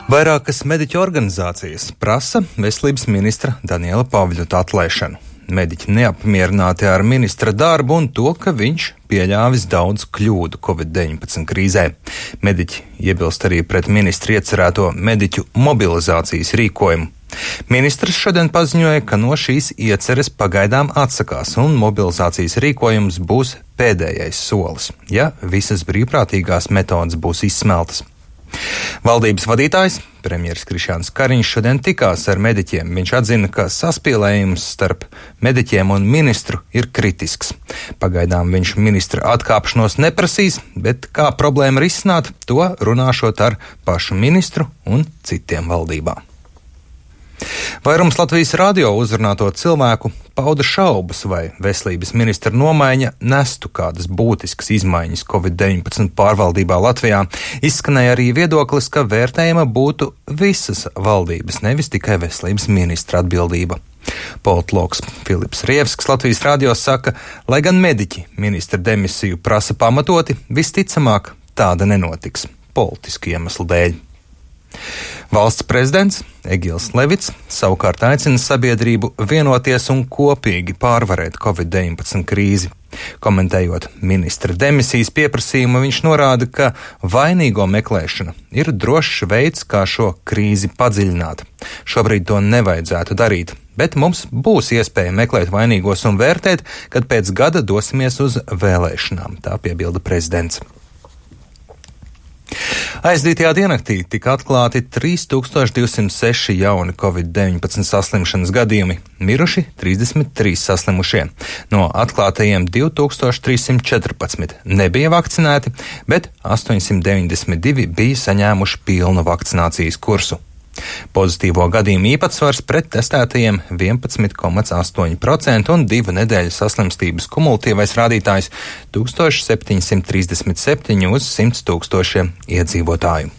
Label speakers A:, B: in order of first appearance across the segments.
A: Vairākas mediķu organizācijas prasa veselības ministra Daniela Pavļuta atlaišanu. Mediķi neapmierināti ar ministra darbu un to, ka viņš pieļāvis daudz kļūdu Covid-19 krīzē. Mediķi iebilst arī pret ministra iecerēto mediķu mobilizācijas rīkojumu. Ministrs šodien paziņoja, ka no šīs ieceres pagaidām atsakās un mobilizācijas rīkojums būs pēdējais solis, ja visas brīvprātīgās metodas būs izsmeltas. Valdības vadītājs, premjeras Krišjāns Kariņš, šodien tikās ar mediķiem. Viņš atzina, ka saspīlējums starp mediķiem un ministru ir kritisks. Pagaidām viņš ministra atkāpšanos neprasīs, bet kā problēmu risināt, to runāšot ar pašu ministru un citiem valdībā. Vairums Latvijas radio uzrunāto cilvēku pauda šaubas, vai veselības ministra nomaiņa nestu kādas būtiskas izmaiņas Covid-19 pārvaldībā Latvijā. Izskanēja arī viedoklis, ka vērtējama būtu visas valdības, nevis tikai veselības ministra atbildība. Politologs Filips Rievskis Latvijas radio saka, lai gan mediķi ministra demisiju prasa pamatoti, visticamāk tāda nenotiks politiski iemeslu dēļ. Valsts prezidents Egils Levits savukārt aicina sabiedrību vienoties un kopīgi pārvarēt Covid-19 krīzi. Komentējot ministra demisijas pieprasījumu, viņš norāda, ka vainīgo meklēšana ir drošs veids, kā šo krīzi padziļināt. Šobrīd to nevajadzētu darīt, bet mums būs iespēja meklēt vainīgos un vērtēt, kad pēc gada dosimies uz vēlēšanām, tā piebilda prezidents. Aizdītajā diennaktī tika atklāti 3206 jauni Covid-19 saslimšanas gadījumi, miruši 33 saslimušie. No atklātajiem 2314 nebija vakcinēti, bet 892 bija saņēmuši pilnu vakcinācijas kursu. Pozitīvo gadījumu īpatsvars pret testētajiem 11,8% un 2 nedēļu saslimstības kumulatīvais rādītājs 1737 uz 100 tūkstošiem iedzīvotāju.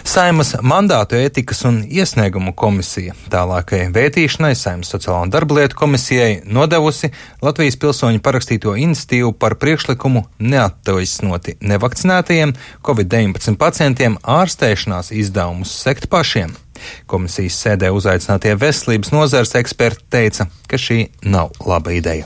A: Saeimas mandātu ētikas un iesniegumu komisija tālākajai vētīšanai Saeimas sociālo un darba lietu komisijai nodevusi Latvijas pilsoņu parakstīto iniciatīvu par priekšlikumu neattaisnoti nevakcinētajiem Covid-19 pacientiem ārstēšanās izdevumus sekt pašiem. Komisijas sēdē uzaicinātie veselības nozares eksperti teica, ka šī nav laba ideja.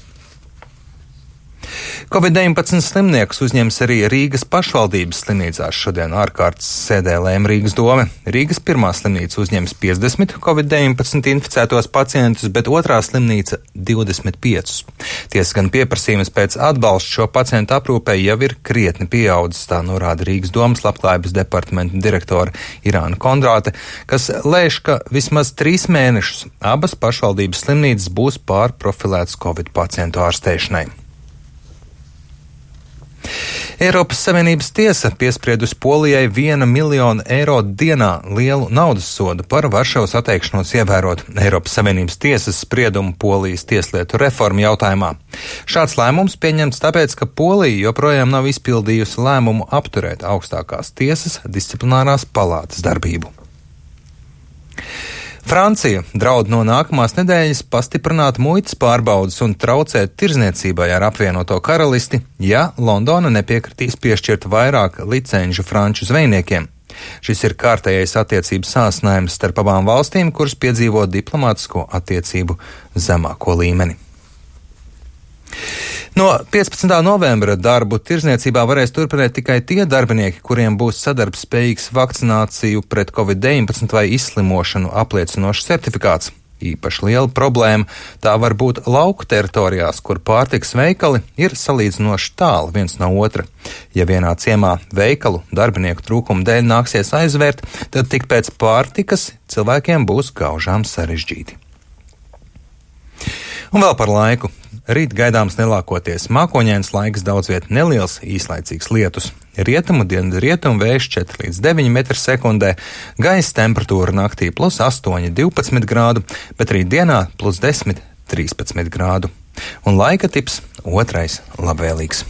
A: Covid-19 slimniekus uzņems arī Rīgas pašvaldības slimnīcās. Šodien ārkārtas sēdē lēma Rīgas dome. Rīgas pirmā slimnīca uzņems 50 Covid-19 inficētos pacientus, bet otrā slimnīca 25. Tiesa gan pieprasījums pēc atbalsta šo pacientu aprūpē jau ir krietni pieaudzis, tā norāda Rīgas domas labklājības departamenta direktore Irāna Kondrāte, kas lēš, ka vismaz 3 mēnešus abas pašvaldības slimnīcas būs pārprofilētas Covid pacientu ārstēšanai. Eiropas Savienības tiesa piespriedusi Polijai 1 miljonu eiro dienā lielu naudas sodu par Varšavas atteikšanos ievērot Eiropas Savienības tiesas spriedumu Polijas tieslietu reformu jautājumā. Šāds lēmums pieņemts tāpēc, ka Polija joprojām nav izpildījusi lēmumu apturēt augstākās tiesas disciplinārās palātas darbību. Francija draud no nākamās nedēļas pastiprināt muitas pārbaudes un traucēt tirzniecībai ar apvienoto karalisti, ja Londona nepiekritīs piešķirt vairāk licenču franču zvejniekiem. Šis ir kārtējais attiecības sāsinājums starp abām valstīm, kuras piedzīvo diplomātisko attiecību zemāko līmeni. No 15. novembra darbu tirzniecībā varēs turpināt tikai tie darbinieki, kuriem būs sadarbspējīgs vakcināciju pret Covid-19 vai izslimošanu apliecinošs certifikāts. Īpaši liela problēma tā var būt lauku teritorijās, kur pārtikas veikali ir salīdzinoši tālu viens no otra. Ja vienā ciemā veikalu darbinieku trūkuma dēļ nāksies aizvērt, tad tik pēc pārtikas cilvēkiem būs gaužām sarežģīti. Un vēl par laiku. Rīt gaidāms nelākoties mākoņains laiks, daudz viet neliels īslaicīgs lietus. Rietumu dienvidu rietumu vējš 4 līdz 9 m/sekundē, gaisa temperatūra naktī +8, 12 grādu, bet rīt dienā +10, 13 grādu. Un laika tips otrais labvēlīgs.